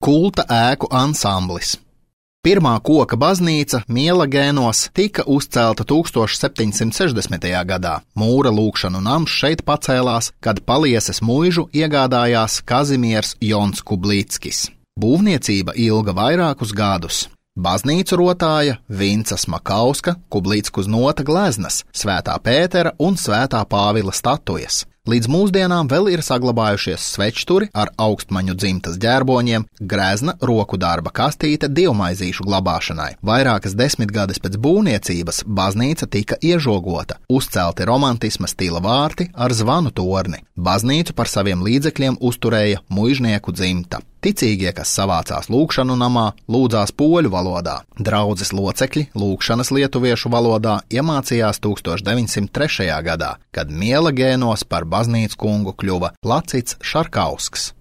Kulta ēku ansamblis. Pirmā koka baznīca Mielagēnos tika uzcelta 1760. gadā. Mūra lūgšanu nams šeit pacēlās, kad Palieses muižu iegādājās Kazimiers Jons Kublīckis. Būvniecība ilga vairākus gadus. Baznīcu rotāja Vincas Makauska, Kublīcku znota gleznas, Svētā Pētera un Svētā Pāvila statujas. Līdz mūsdienām vēl ir saglabājušies svečturi ar augstmaņu dzimtas ģērboņiem, grezna roku darba kastīte dievmaizīšu glabāšanai. Vairākas desmitgades pēc būvniecības baznīca tika iežogota, uzcelti romantisma stila vārti ar zvanu torni. Baznīcu par saviem līdzekļiem uzturēja muižnieku dzimta. Ticīgie, kas savācās lūgšanu namā, lūdzās poļu valodā. Draudzes locekļi lūgšanas lietuviešu valodā iemācījās 1903. gadā, kad Mielagēnos par baznīcu kungu kļuva Lacits Šarkausks.